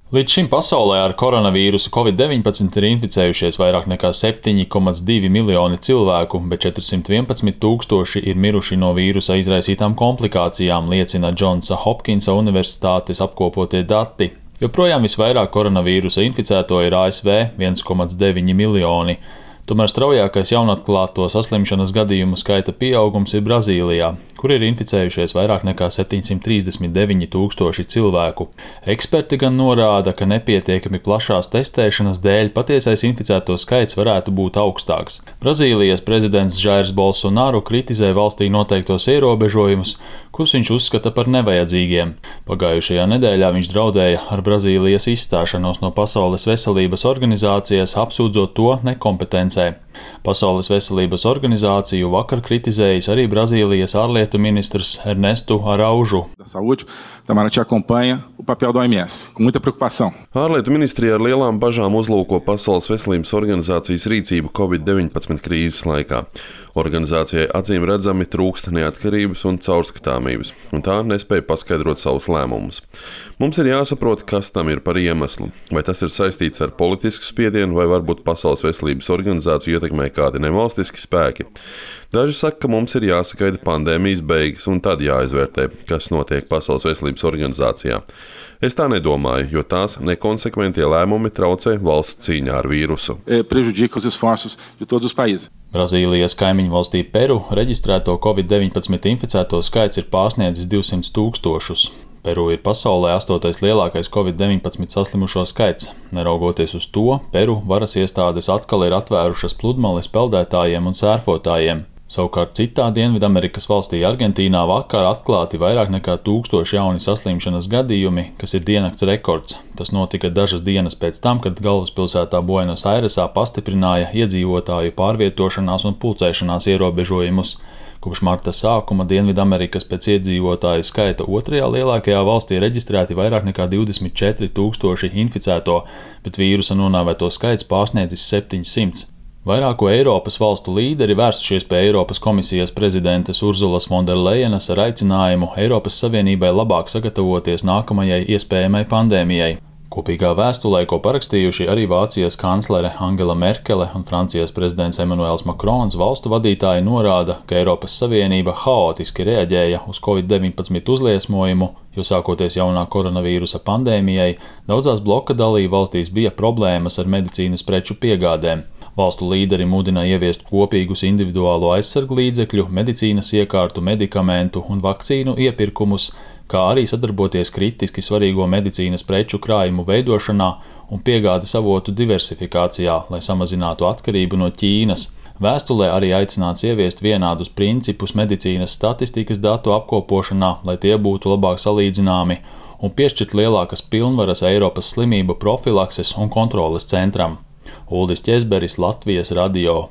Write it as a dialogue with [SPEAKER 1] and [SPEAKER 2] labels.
[SPEAKER 1] Līdz šim pasaulē ar koronavīrusu Covid-19 ir inficējušies vairāk nekā 7,2 miljoni cilvēku, bet 411 tūkstoši ir miruši no vīrusa izraisītām komplikācijām, liecina Džonsa Hopkinsa Universitātes apkopotie dati. Joprojām visvairāk koronavīrusa inficēto ir ASV – 1,9 miljoni. Tomēr straujākais jaunatklāto saslimšanas gadījumu skaita pieaugums ir Brazīlijā, kur ir inficējušies vairāk nekā 739 tūkstoši cilvēku. Eksperti gan norāda, ka nepietiekami plašās testēšanas dēļ patiesais inficēto skaits varētu būt augstāks. Brazīlijas prezidents Jairs Bolsonaru kritizē valstī noteiktos ierobežojumus, kurus viņš uzskata par nevajadzīgiem. Pagājušajā nedēļā viņš draudēja ar Brazīlijas izstāšanos no Pasaules veselības organizācijas, apsūdzot to nekompetencē. Pasaules veselības organizāciju vakar kritizējis arī Brazīlijas ārlietu ministrs Ernestu Araužu.
[SPEAKER 2] Ārlietu ministrija ar lielām bažām uzlūko Pasaules veselības organizācijas rīcību Covid-19 krīzes laikā. Organizācijai acīm redzami trūkst neatkarības un caurskatāmības, un tā nespēja paskaidrot savus lēmumus. Mums ir jāsaprot, kas tam ir par iemeslu. Vai tas ir saistīts ar politisku spiedienu, vai varbūt Pasaules veselības organizāciju ietekmē kādi nevalstiski spēki. Daži saka, ka mums ir jāsagaida pandēmijas beigas un tad jāizvērtē, kas notiek Pasaules veselības organizācijā. Es tā nedomāju, jo tās nekonsekventie lēmumi traucē valstu cīņā ar vīrusu.
[SPEAKER 1] Brazīlijas kaimiņu valstī Peru reģistrēto Covid-19 inficēto skaits ir pārsniedzis 200 tūkstošus. Peru ir pasaulē 8. lielākais Covid-19 saslimušo skaits. Neraugoties uz to, Peru varas iestādes atkal ir atvērušas pludmales peldētājiem un sērfotājiem. Savukārt citā Dienvidamerikas valstī Argentīnā vakar atklāti vairāk nekā 1000 jauni saslimšanas gadījumi, kas ir diennakts rekords. Tas notika dažas dienas pēc tam, kad galvaspilsētā Buenos Airesā pastiprināja iedzīvotāju pārvietošanās un pulcēšanās ierobežojumus. Kopš marta sākuma Dienvidamerikas pēc iedzīvotāju skaita otrajā lielākajā valstī reģistrēti vairāk nekā 24 tūkstoši inficēto, bet vīrusa nonāvēto skaits pārsniedzis 700. Vairāku Eiropas valstu līderi vērsušies pie Eiropas komisijas prezidentes Urzulas Fonderlejenas ar aicinājumu Eiropas Savienībai labāk sagatavoties nākamajai iespējamai pandēmijai. Kopīgā vēstulē, ko parakstījuši arī Vācijas kanclere Angela Merkele un Francijas prezidents Emmanuels Macrons, valstu vadītāji norāda, ka Eiropas Savienība haotiski reaģēja uz Covid-19 uzliesmojumu, jo sākoties jaunā koronavīrusa pandēmijai, daudzās bloka dalību valstīs bija problēmas ar medicīnas preču piegādēm. Valstu līderi mudina ieviest kopīgus individuālo aizsargu līdzekļu, medicīnas iekārtu, medikamentu un vakcīnu iepirkumus, kā arī sadarboties kritiski svarīgo medicīnas preču krājumu veidošanā un piegādes avotu diversifikācijā, lai samazinātu atkarību no Ķīnas. Vēstulē arī aicināts ieviest vienādus principus medicīnas statistikas datu apkopošanā, lai tie būtu labāk salīdzināmi, un piešķirt lielākas pilnvaras Eiropas slimību profilakses un kontroles centram. Uldis Ķezberis, Latvijas radio.